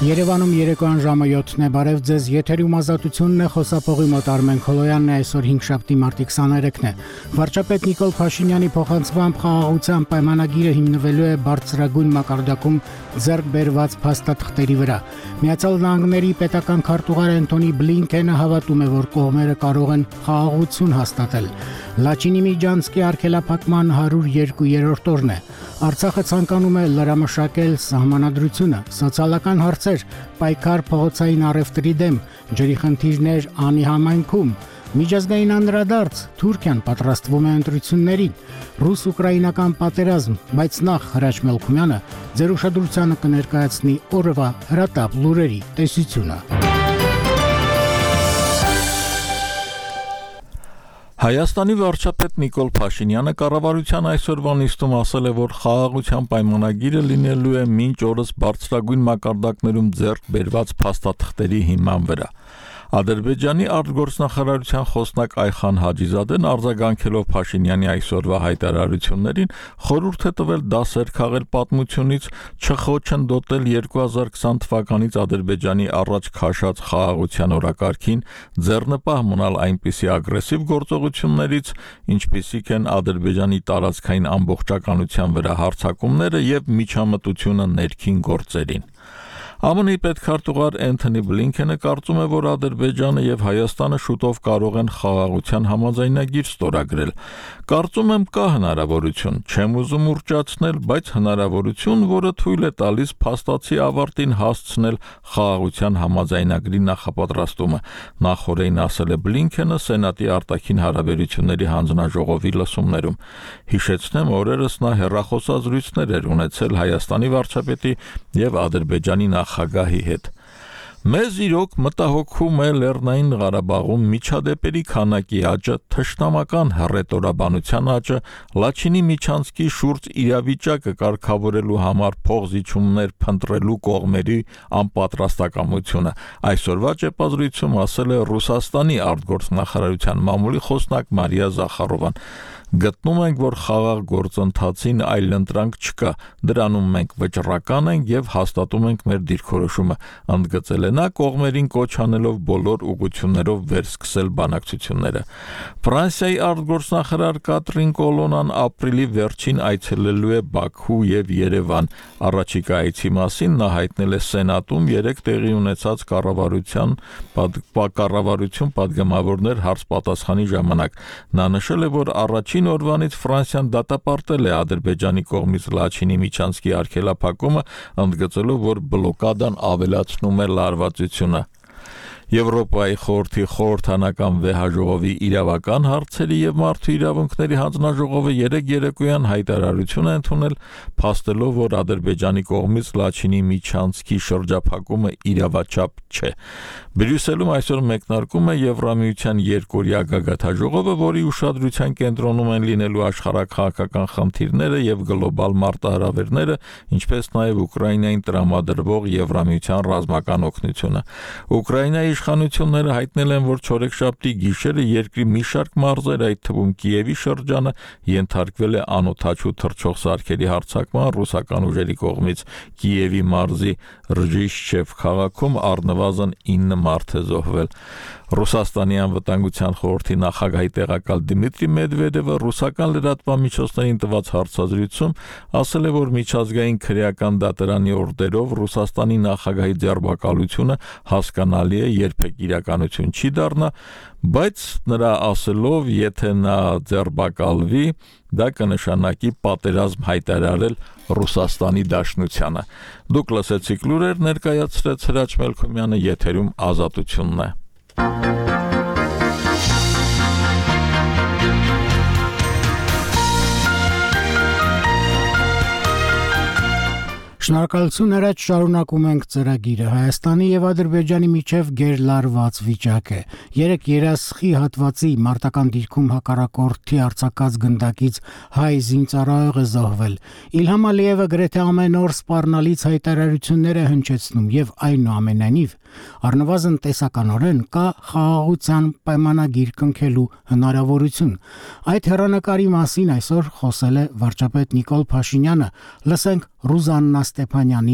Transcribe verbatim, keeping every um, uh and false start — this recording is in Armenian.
Երևանում երեկոյան ժամը յոթն է, բարև ձեզ, եթերում ազատությունն է, խոսափողի մոտ Արմեն Քոլոյանն է, այսօր հինգշաբթի մարտի քսաներեքն է։ Վարչապետ Նիկոլ Փաշինյանի փոխանցմամբ խաղաղության պայմանագիրը հիմնվելու է բարձրագույն մակարդակում ձեռք բերված փաստաթղթերի վրա։ Միացյալ Նահանգների պետական քարտուղար Անթոնի Բլինքենը հավատում է, որ կողմերը կարող են խաղաղություն հաստատել։ Լաչինի միջանցքի արգելափակման հարյուր երկու-րդ օրն է։ Արցախը ցանկանում է լրամշակել սահմանադրությունը, սոցիալական հարցեր, պայքար փողոցային առևտրի դեմ, ջրի խնդիրներ անի համայնքում, միջազգային անդրադարձ, Թուրքիան պատրաստվում է ընտրություններին, ռուս-ուկրաինական պատերազմ, բայց նախ Հրաչ Մելքումյանը ձեր ուշադրությանը կներկայացնի օրվա հրատապ լուրերի տեսությունը։ Հայաստանի վարչապետ Նիկոլ Փաշինյանը կառավարության այսօրվա նիստում ասել է, որ խաղաղության պայմանագիրը լինելու է մինչ օրս բարձրագույն մակարդակներում ձեռք բերված փաստաթղթերի հիման վրա։ Ադրբեջանի արտգործնախարարության խոսնակ Այխան Հաջիզադեն արձագանքելով Փաշինյանի այսօրվա հայտարարություններին խորհուրդ է տվել դասեր քաղել պատմությունից, չխոչընդոտել երկու հազար քսան թվականից Ադրբեջանի առաջ քաշած խաղաղության օրակարգին, ձեռնպահ մնալ այնպիսի ագրեսիվ գործողություններից, ինչպիսիք են Ադրբեջանի տարածքային ամբողջականության վրա հարձակումները եւ միջամտությունը ներքին գործերին։ ԱՄՆ-ի պետքարտուղար Անթոնի Բլինքենը կարծում է, որ Ադրբեջանը եւ Հայաստանը շուտով կարող են խաղաղության համաձայնագիր ստորագրել։ Կարծում եմ կա հնարավորություն, չեմ ուզում ուռճացնել, բայց հնարավորություն, որը թույլ է տալիս փաստացի ավարտին հասցնել խաղաղության համաձայնագրի նախապատրաստումը, նախորդին ասել է Բլինքենը Սենատի արտաքին հարաբերությունների հանձնաժողովի լսումներում։ Հիշեցնեմ, օրերս նա հեռախոսազրույցներ էր ունեցել Հայաստանի վարչապետի եւ Ադրբեջանի նախագահի հետ։ Մեզ իրոք մտահոգում է Լեռնային Ղարաբաղում միջադեպերի քանակի աճը, թշնամական հռետորաբանության աճը, Լաչինի միջանցքի շուրջ իրավիճակը կարգավորելու համար փոխզիջումներ փնտրելու կողմերի անպատրաստակամությունը։ Այսօրվա ճեպազրույցում ասել է Ռուսաստանի արտգործնախարարության մամուլի խոսնակ Մարիա Զախարովան։ Գտնում ենք, որ խաղաղ գործընթացին այլընտրանք չկա, դրանում մենք վճռական ենք եւ հաստատում ենք մեր դիրքորոշումը, ընդգծել է նա կողմերին կոչ անելով բոլոր ուղղություններով վերսկսել բանակցությունները։ Ֆրանսիայի արտգործնախարար Կատրին Կոլոնան ապրիլի վերջին այցելելու է Բաքու եւ Երևան։ Առաջիկա այցի մասին նա հայտնել է Սենատում երեք տեղի ունեցած կառավարության կառավարություն падգամավորներ հարց-պատասխանի ժամանակ։ Նա նշել է, որ առաջին օրվանից Ֆրանսիան դատապարտել է Ադրբեջանի կողմից Լաչինի միջանցքի արգելափակումը, ընդգծելով, որ բլոկադան ավելացնում է լարվածությունը։ Եվրոպայի խորհրդի խորհրդանական վեհաժողովի իրավական հարցերի եւ մարդու իրավունքների հանձնաժողովը երեք երեկոյան հայտարարություն է ընդունել, փաստելով, որ Ադրբեջանի կողմից Լաչինի միջանցքի շրջափակումը իրավաչափ չէ։ Բրյուսելում այսօր մեկնարկում է Եվրամիության երկօրյա գագաթաժողովը, որի ուշադրության կենտրոնում են լինելու աշխարհաքաղաքական խնդիրները եւ գլոբալ մարտահրավերները, ինչպես նաեւ Ուկրաինային տրամադրվող Եվրամիության ռազմական օգնությունը։ Ուկրաինայի իշխանությունները հայտնել են, որ չորեքշաբթի գիշերը երկրի մի շարք մարզեր, այդ թվում Կիևի շրջանը, ենթարկվել է անօդաչու թռչող սարքերի հարձակման ռուսական ուժերի կողմից։ Կիևի մարզի Ռժիշչև քաղաքում առնվազն ինը մարդ է զոհվել։ Ռուսաստանի անվտանգության խորհրդի նախագահի տեղակալ Դմիտրի Մեդվեդևը ռուսական լրատվամիջոցներին տված հարցազրույցում ասել է, որ միջազգային քրեական դատարանի օրդերով Ռուսաստանի նախագահի ձերբակալությունը հասկանալի է, երբեք իրականություն չի դառնա, բայց նրա ասելով, եթե նա ձերբակալվի, դա կնշանակի պատերազմ հայտարարել Ռուսաստանի Դաշնությանը։ Դուք լսեցիք լուրեր, ներկայացրեց Հրաչ Մելքումյանը, եթերում ազատությունն է։ Շնորհակալություն, Հրաչ, շարունակում ենք ծրագիրը։ Հայաստանի եւ Ադրբեջանի միջև գերլարված վիճակ է։ Երեք երասխի հատվածի մարտական դիրքում հակառակորդի արձակած գնդակից հայ զինծառայող է զոհվել։ Իլհամ Ալիևը գրեթե ամեն օր սպառնալից հայտարարություններ է հնչեցնում եւ այնուամենայնիվ առնվազն տեսականորեն կա խաղաղության պայմանագիր կնքելու հնարավորություն։ Այդ հեռանկարի մասին այսօր խոսել է վարչապետ Նիկոլ Փաշինյանը։ Լսենք Ռուզաննա Ստեփանյանի